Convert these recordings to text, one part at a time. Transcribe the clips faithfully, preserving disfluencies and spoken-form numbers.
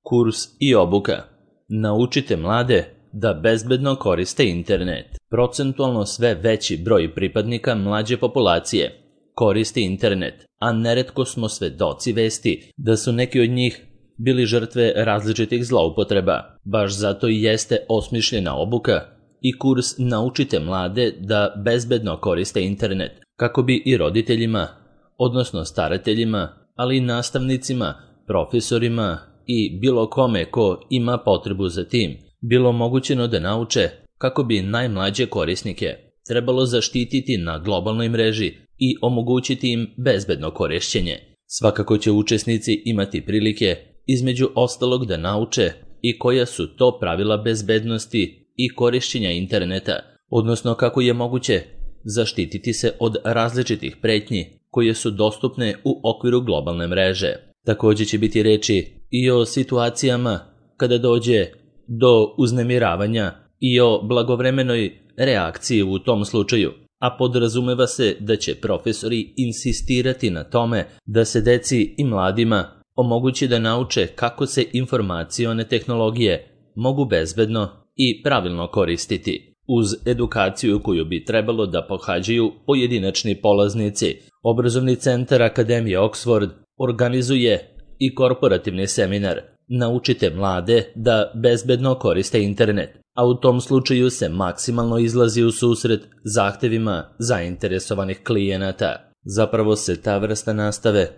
Kurs i obuka. Naučite mlade da bezbedno koriste internet. Procentualno sve veći broj pripadnika mlađe populacije koristi internet, a neretko smo svedoci vesti da su neki od njih bili žrtve različitih zloupotreba. Baš zato i jeste osmišljena obuka i kurs Naučite mlade da bezbedno koriste internet, kako bi i roditeljima, odnosno starateljima, ali i nastavnicima, profesorima i bilo kome ko ima potrebu za tim, bilo omogućeno da nauče kako bi najmlađe korisnike trebalo zaštititi na globalnoj mreži i omogućiti im bezbedno korišćenje. Svakako će učesnici imati prilike između ostalog da nauče i koja su to pravila bezbednosti i korišćenja interneta, odnosno kako je moguće zaštititi se od različitih pretnji koje su dostupne u okviru globalne mreže. Također će biti reči i o situacijama kada dođe do uznemiravanja i o blagovremenoj reakciji u tom slučaju, a podrazumeva se da će profesori insistirati na tome da se deci i mladima omogući da nauče kako se informacione tehnologije mogu bezbedno i pravilno koristiti. Uz edukaciju koju bi trebalo da pohađaju pojedinačni polaznici, obrazovni centar Akademije Oxford organizuje i korporativni seminar Naučite mlade da bezbedno koriste internet, a u tom slučaju se maksimalno izlazi u susret zahtevima zainteresovanih klijenata. Zapravo se ta vrsta nastave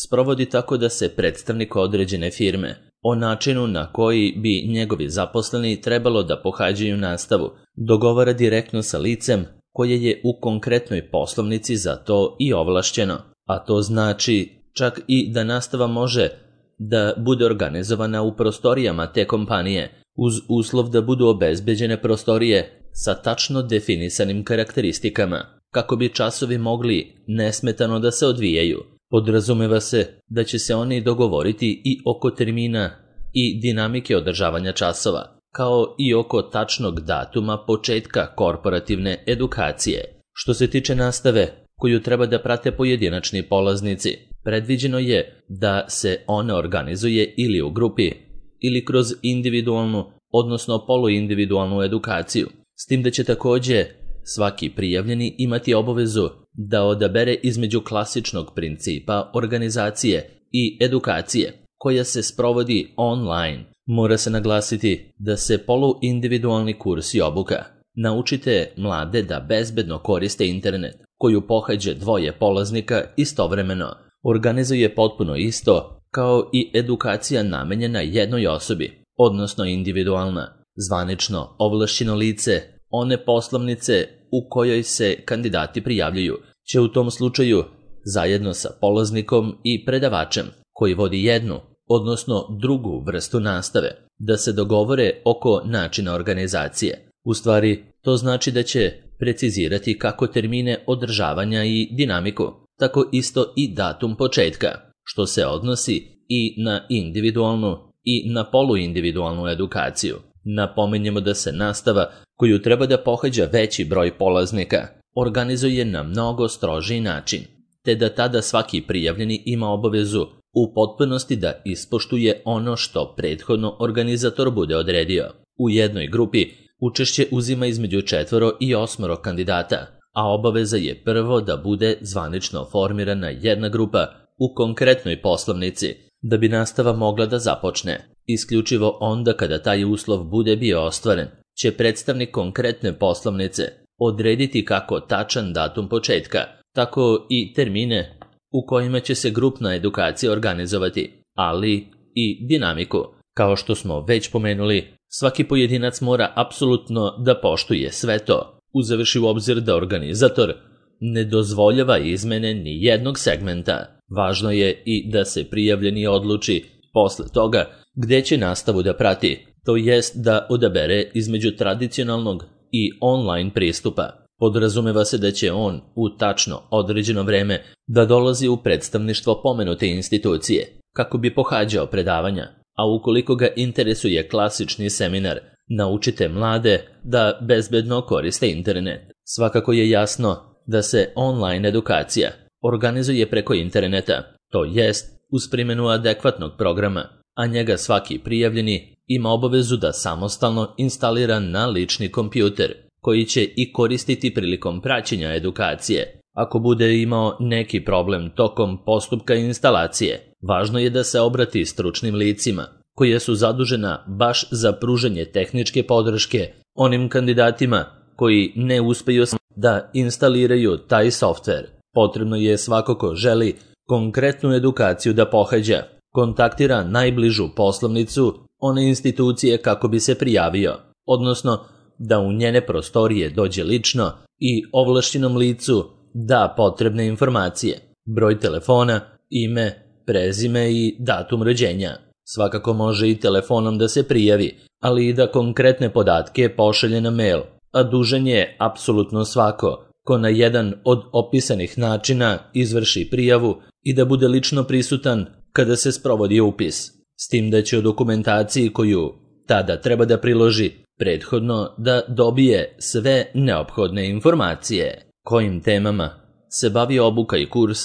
sprovodi tako da se predstavnik određene firme o načinu na koji bi njegovi zaposleni trebalo da pohađaju nastavu dogovara direktno sa licem koje je u konkretnoj poslovnici za to i ovlašćeno, a to znači čak i da nastava može da bude organizovana u prostorijama te kompanije, uz uslov da budu obezbeđene prostorije sa tačno definisanim karakteristikama, kako bi časovi mogli nesmetano da se odvijaju. Podrazumeva se da će se oni dogovoriti i oko termina i dinamike održavanja časova, kao i oko tačnog datuma početka korporativne edukacije. Što se tiče nastave koju treba da prate pojedinačni polaznici, predviđeno je da se ona organizuje ili u grupi ili kroz individualnu, odnosno poluindividualnu edukaciju, s tim da će također svaki prijavljeni imati obavezu da odabere između klasičnog principa organizacije i edukacije koja se sprovodi online. Mora se naglasiti da se poluindividualni kurs i obuka Naučite mlade da bezbedno koriste internet, koju pohađe dvoje polaznika istovremeno, organizuje potpuno isto kao i edukacija namenjena jednoj osobi, odnosno individualna. Zvanično ovlašćeno lice one poslovnice u kojoj se kandidati prijavljuju će u tom slučaju zajedno sa polaznikom i predavačem koji vodi jednu, odnosno drugu vrstu nastave, da se dogovore oko načina organizacije. U stvari, to znači da će precizirati kako termine održavanja i dinamiku, tako isto i datum početka, što se odnosi i na individualnu i na poluindividualnu edukaciju. Napominjemo da se nastava, koju treba da pohađa veći broj polaznika, organizuje na mnogo strožiji način, te da tada svaki prijavljeni ima obavezu u potpunosti da ispoštuje ono što prethodno organizator bude odredio. U jednoj grupi učešće uzima između četvoro i osmoro kandidata, a obaveza je prvo da bude zvanično formirana jedna grupa u konkretnoj poslovnici, da bi nastava mogla da započne. Isključivo onda kada taj uslov bude bio ostvaren, će predstavnik konkretne poslovnice odrediti kako tačan datum početka, tako i termine u kojima će se grupna edukacija organizovati, ali i dinamiku. Kao što smo već pomenuli, svaki pojedinac mora apsolutno da poštuje sve to, uzevši u obzir da organizator ne dozvoljava izmene ni jednog segmenta. Važno je i da se prijavljeni odluči posle toga gde će nastavu da prati, to jest da odabere između tradicionalnog i online pristupa. Podrazumeva se da će on u tačno određeno vreme da dolazi u predstavništvo pomenute institucije kako bi pohađao predavanja, a ukoliko ga interesuje klasični seminar Naučite mlade da bezbedno koriste internet. Svakako je jasno da se online edukacija organizuje preko interneta, to jest uz primjenu adekvatnog programa, a njega svaki prijavljeni ima obavezu da samostalno instalira na lični kompjuter, koji će i koristiti prilikom praćenja edukacije. Ako bude imao neki problem tokom postupka instalacije, važno je da se obrati stručnim licima, koje su zadužena baš za pružanje tehničke podrške onim kandidatima koji ne uspeju da instaliraju taj softver. Potrebno je svako ko želi konkretnu edukaciju da pohađa, kontaktira najbližu poslovnicu one institucije kako bi se prijavio, odnosno da u njene prostorije dođe lično i ovlašćenom licu da potrebne informacije, broj telefona, ime, prezime i datum rođenja. Svakako može i telefonom da se prijavi, ali i da konkretne podatke pošalje na mail, a dužan je apsolutno svako ko na jedan od opisanih načina izvrši prijavu i da bude lično prisutan kada se sprovodi upis, s tim da će o dokumentaciji koju tada treba da priloži prethodno da dobije sve neophodne informacije. Kojim temama se bavi obuka i kurs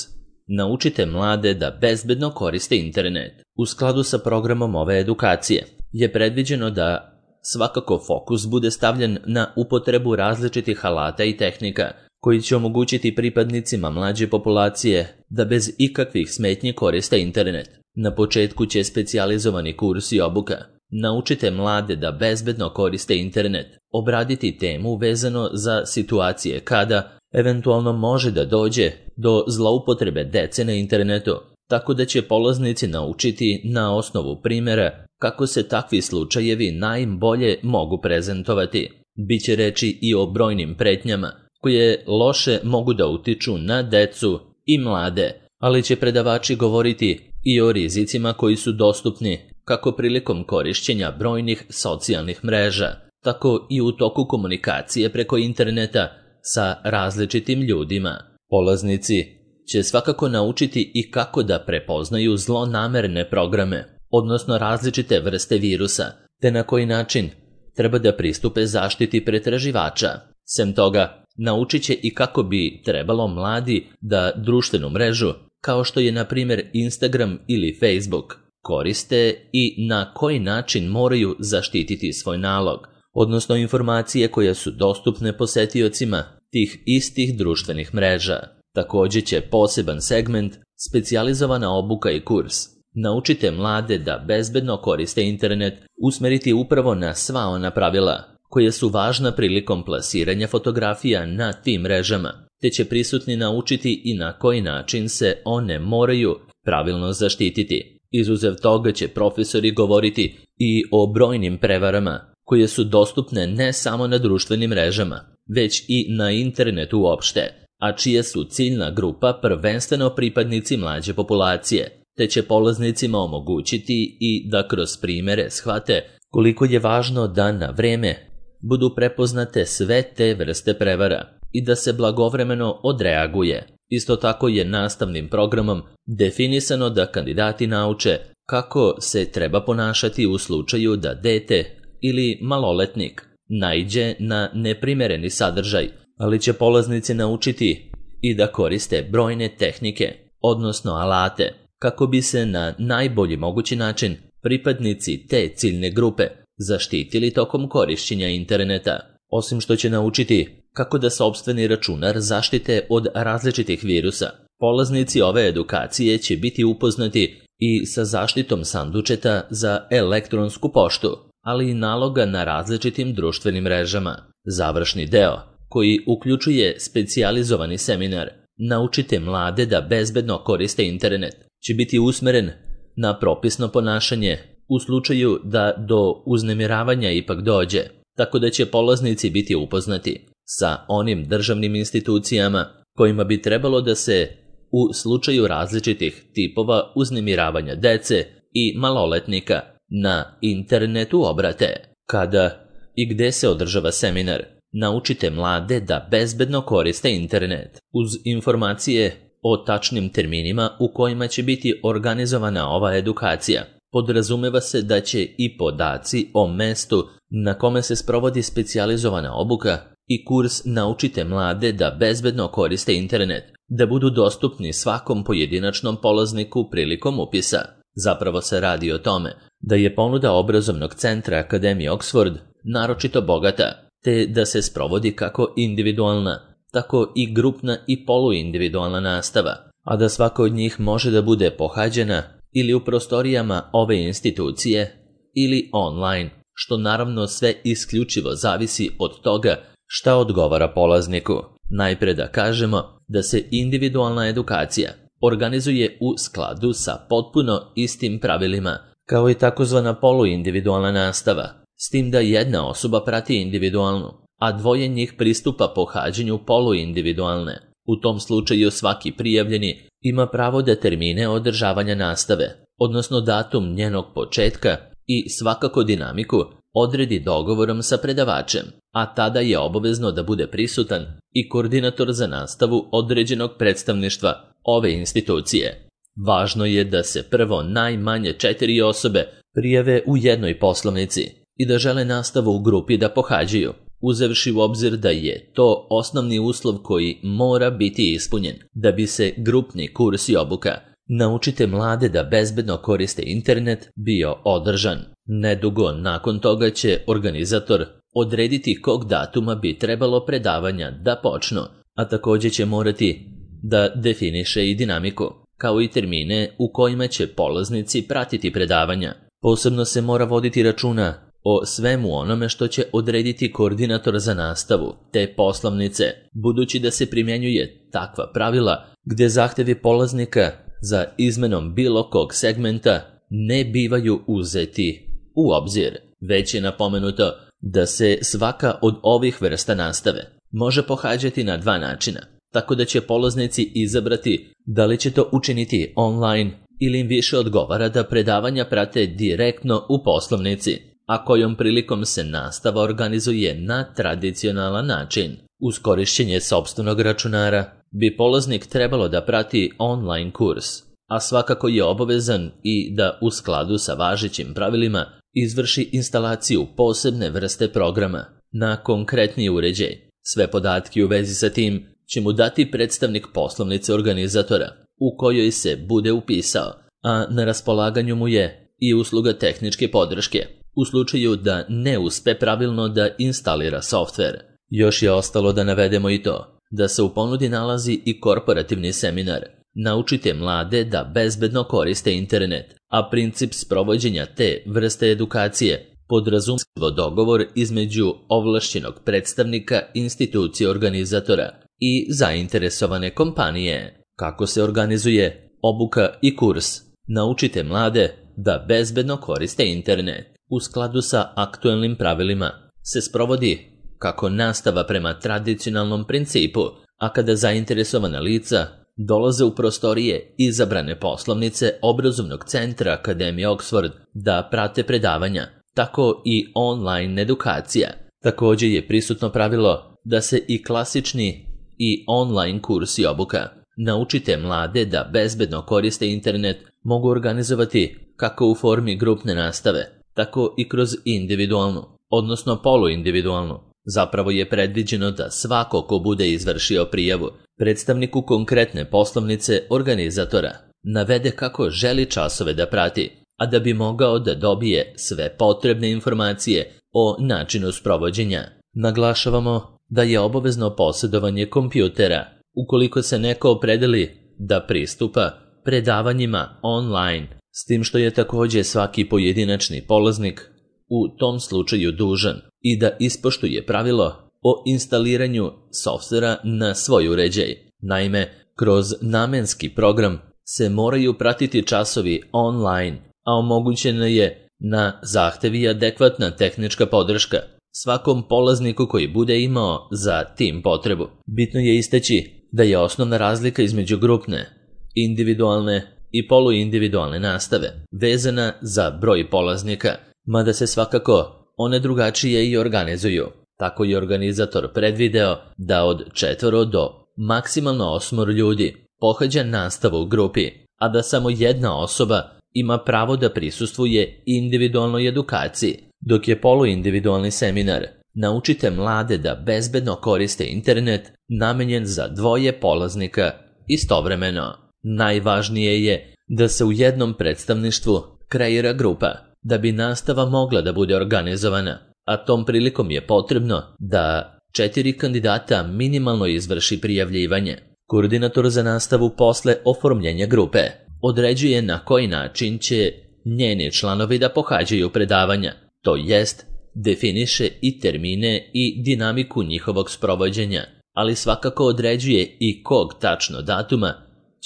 Naučite mlade da bezbedno koriste internet. U skladu sa programom ove edukacije je predviđeno da svakako fokus bude stavljen na upotrebu različitih alata i tehnika koji će omogućiti pripadnicima mlađe populacije da bez ikakvih smetnji koriste internet. Na početku će specijalizovani kurs i obuka Naučite mlade da bezbedno koriste internet obraditi temu vezano za situacije kada eventualno može da dođe do zloupotrebe dece na internetu, tako da će polaznici naučiti na osnovu primjera kako se takvi slučajevi najbolje mogu prezentovati. Biće reči i o brojnim pretnjama koje loše mogu da utiču na decu i mlade, ali će predavači govoriti i o rizicima koji su dostupni kako prilikom korišćenja brojnih socijalnih mreža, tako i u toku komunikacije preko interneta sa različitim ljudima. Polaznici će svakako naučiti i kako da prepoznaju zlonamerne programe, odnosno različite vrste virusa, te na koji način treba da pristupe zaštiti pretraživača. Sem toga, naučit će i kako bi trebalo mladi da društvenu mrežu, kao što je na primjer Instagram ili Facebook, koriste i na koji način moraju zaštititi svoj nalog, odnosno informacije koje su dostupne posetiocima tih istih društvenih mreža. Također će poseban segment, specijalizovana obuka i kurs Naučite mlade da bezbedno koriste internet usmeriti upravo na sva ona pravila koje su važna prilikom plasiranja fotografija na tim mrežama, te će prisutni naučiti i na koji način se one moraju pravilno zaštititi. Izuzev toga će profesori govoriti i o brojnim prevarama koje su dostupne ne samo na društvenim mrežama, već i na internetu uopšte, a čija su ciljna grupa prvenstveno pripadnici mlađe populacije, te će polaznicima omogućiti i da kroz primere shvate koliko je važno da na vreme budu prepoznate sve te vrste prevara i da se blagovremeno odreaguje. Isto tako je nastavnim programom definisano da kandidati nauče kako se treba ponašati u slučaju da dete ili maloletnik naiđe na neprimereni sadržaj, ali će polaznici naučiti i da koriste brojne tehnike, odnosno alate, kako bi se na najbolji mogući način pripadnici te ciljne grupe zaštitili tokom korišćenja interneta. Osim što će naučiti kako da sopstveni računar zaštite od različitih virusa, polaznici ove edukacije će biti upoznati i sa zaštitom sandučeta za elektronsku poštu, ali i naloga na različitim društvenim mrežama. Završni deo, koji uključuje specijalizovani seminar Naučite mlade da bezbedno koriste internet, će biti usmeren na propisno ponašanje u slučaju da do uznemiravanja ipak dođe, tako da će polaznici biti upoznati sa onim državnim institucijama kojima bi trebalo da se u slučaju različitih tipova uznemiravanja dece i maloletnika na internetu obrate. Kada i gde se održava seminar Naučite mlade da bezbedno koriste internet, uz informacije o tačnim terminima u kojima će biti organizovana ova edukacija. Podrazumeva se da će i podaci o mestu na kome se sprovodi specijalizovana obuka i kurs Naučite mlade da bezbedno koriste internet da budu dostupni svakom pojedinačnom polazniku prilikom upisa. Zapravo se radi o tome da je ponuda obrazovnog centra Akademije Oxford naročito bogata, te da se sprovodi kako individualna, tako i grupna i poluindividualna nastava, a da svaka od njih može da bude pohađena ili u prostorijama ove institucije ili online, što naravno sve isključivo zavisi od toga šta odgovara polazniku. Najpre da kažemo da se individualna edukacija organizuje u skladu sa potpuno istim pravilima, kao i takozvana poluindividualna nastava, s tim da jedna osoba prati individualnu, a dvoje njih pristupa pohađanju poluindividualne. U tom slučaju svaki prijavljeni ima pravo da termine održavanja nastave, odnosno datum njenog početka i svakako dinamiku odredi dogovorom sa predavačem, a tada je obavezno da bude prisutan i koordinator za nastavu određenog predstavništva ove institucije. Važno je da se prvo najmanje četiri osobe prijave u jednoj poslovnici i da žele nastavu u grupi da pohađaju, uzevši u obzir da je to osnovni uslov koji mora biti ispunjen da bi se grupni kurs i obuka Naučite mlade da bezbedno koriste internet bio održan. Nedugo nakon toga će organizator odrediti kog datuma bi trebalo predavanja da počnu, a također će morati da definiše i dinamiku, kao i termine u kojima će polaznici pratiti predavanja. Posebno se mora voditi računa o svemu onome što će odrediti koordinator za nastavu, te poslovnice, budući da se primjenjuje takva pravila gdje zahtjevi polaznika za izmenom bilo kog segmenta ne bivaju uzeti u obzir. Već je napomenuto da se svaka od ovih vrsta nastave može pohađati na dva načina, tako da će polaznici izabrati da li će to učiniti online ili im više odgovara da predavanja prate direktno u poslovnici, a kojom prilikom se nastava organizuje na tradicionalan način. Uz korišćenje sopstvenog računara bi polaznik trebalo da prati online kurs, a svakako je obavezan i da u skladu sa važećim pravilima izvrši instalaciju posebne vrste programa na konkretni uređaj. Sve podatke u vezi sa tim će mu dati predstavnik poslovnice organizatora u kojoj se bude upisao, a na raspolaganju mu je i usluga tehničke podrške u slučaju da ne uspe pravilno da instalira softver. Još je ostalo da navedemo i to da se u ponudi nalazi i korporativni seminar Naučite mlade da bezbedno koriste internet, a princip sprovođenja te vrste edukacije podrazumijeva dogovor između ovlašćenog predstavnika institucije organizatora i zainteresovane kompanije. Kako se organizuje obuka i kurs Naučite mlade da bezbedno koriste internet u skladu sa aktuelnim pravilima se sprovodi kako nastava prema tradicionalnom principu, a kada zainteresovana lica dolaze u prostorije izabrane poslovnice obrazovnog centra Akademije Oxford da prate predavanja, tako i online edukacija. Također je prisutno pravilo da se i klasični i online kurs i obuka Naučite mlade da bezbedno koriste internet mogu organizovati kako u formi grupne nastave, tako i kroz individualnu, odnosno poluindividualnu. Zapravo je predviđeno da svako ko bude izvršio prijavu predstavniku konkretne poslovnice organizatora navede kako želi časove da prati, a da bi mogao da dobije sve potrebne informacije o načinu sprovođenja. Naglašavamo da je obavezno posjedovanje kompjutera ukoliko se neko opredeli da pristupa predavanjima online, s tim što je također svaki pojedinačni polaznik u tom slučaju dužan i da ispoštuje pravilo o instaliranju softvera na svoj uređaj. Naime, kroz namenski program se moraju pratiti časovi online, a omogućena je na zahtev i adekvatna tehnička podrška svakom polazniku koji bude imao za tim potrebu. Bitno je istaći da je osnovna razlika između grupne, individualne i poluindividualne nastave vezana za broj polaznika, mada se svakako one drugačije i organizuju. Tako je organizator predvideo da od četvoro do maksimalno osmoro ljudi pohađa nastavu u grupi, a da samo jedna osoba ima pravo da prisustvuje individualnoj edukaciji, dok je poluindividualni seminar Naučite mlade da bezbedno koriste internet namenjen za dvoje polaznika istovremeno. Najvažnije je da se u jednom predstavništvu kreira grupa da bi nastava mogla da bude organizovana, a tom prilikom je potrebno da četiri kandidata minimalno izvrši prijavljivanje. Koordinator za nastavu posle oformljenja grupe određuje na koji način će njeni članovi da pohađaju predavanja, to jest definiše i termine i dinamiku njihovog sprovođenja, ali svakako određuje i kog tačno datuma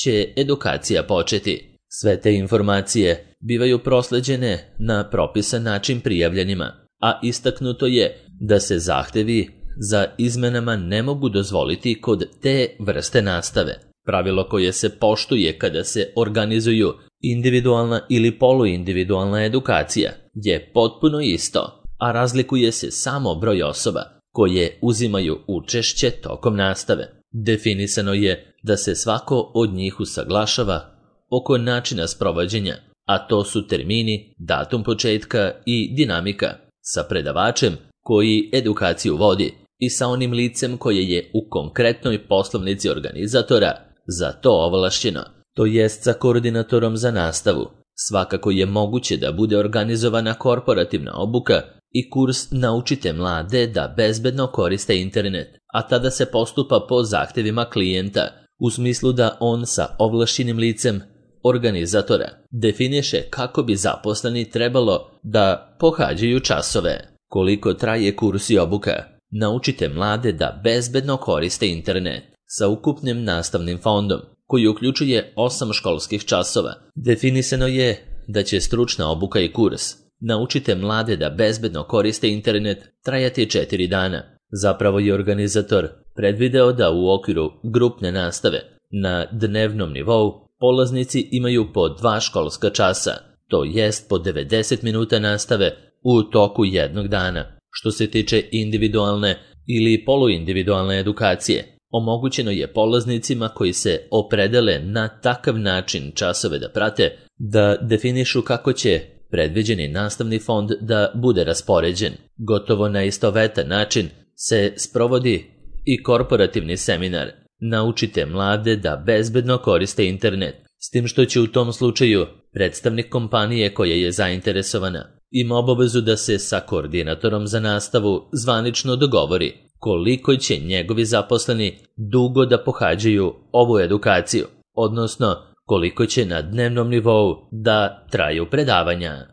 će edukacija početi. Sve te informacije bivaju prosleđene na propisan način prijavljenima, a istaknuto je da se zahtevi za izmenama ne mogu dozvoliti kod te vrste nastave. Pravilo koje se poštuje kada se organizuju individualna ili poluindividualna edukacija je potpuno isto, a razlikuje se samo broj osoba koje uzimaju učešće tokom nastave. Definisano je da se svako od njih usaglašava oko načina sprovođenja, a to su termini, datum početka i dinamika, sa predavačem koji edukaciju vodi i sa onim licem koje je u konkretnoj poslovnici organizatora za to ovlašćeno, to jest sa koordinatorom za nastavu. Svakako je moguće da bude organizovana korporativna obuka i kurs Naučite mlade da bezbedno koriste internet, a tada se postupa po zahtevima klijenta, u smislu da on sa ovlašćenim licem organizatora definiše kako bi zaposleni trebalo da pohađaju časove. Koliko traje kurs i obuka Naučite mlade da bezbedno koriste internet sa ukupnim nastavnim fondom, koji uključuje osam školskih časova. Definisano je da će stručna obuka i kurs Naučite mlade da bezbedno koriste internet trajati četiri dana. Zapravo je organizator predvideo da u okviru grupne nastave na dnevnom nivou polaznici imaju po dva školska časa, to jest po devedeset minuta nastave u toku jednog dana. Što se tiče individualne ili poluindividualne edukacije, omogućeno je polaznicima koji se opredele na takav način časove da prate, da definišu kako će predviđeni nastavni fond da bude raspoređen. Gotovo na istovetan način se sprovodi i korporativni seminar Naučite mlade da bezbedno koriste internet, s tim što će u tom slučaju predstavnik kompanije koja je zainteresovana ima obavezu da se sa koordinatorom za nastavu zvanično dogovori koliko će njegovi zaposleni dugo da pohađaju ovu edukaciju, odnosno koliko će na dnevnom nivou da traju predavanja.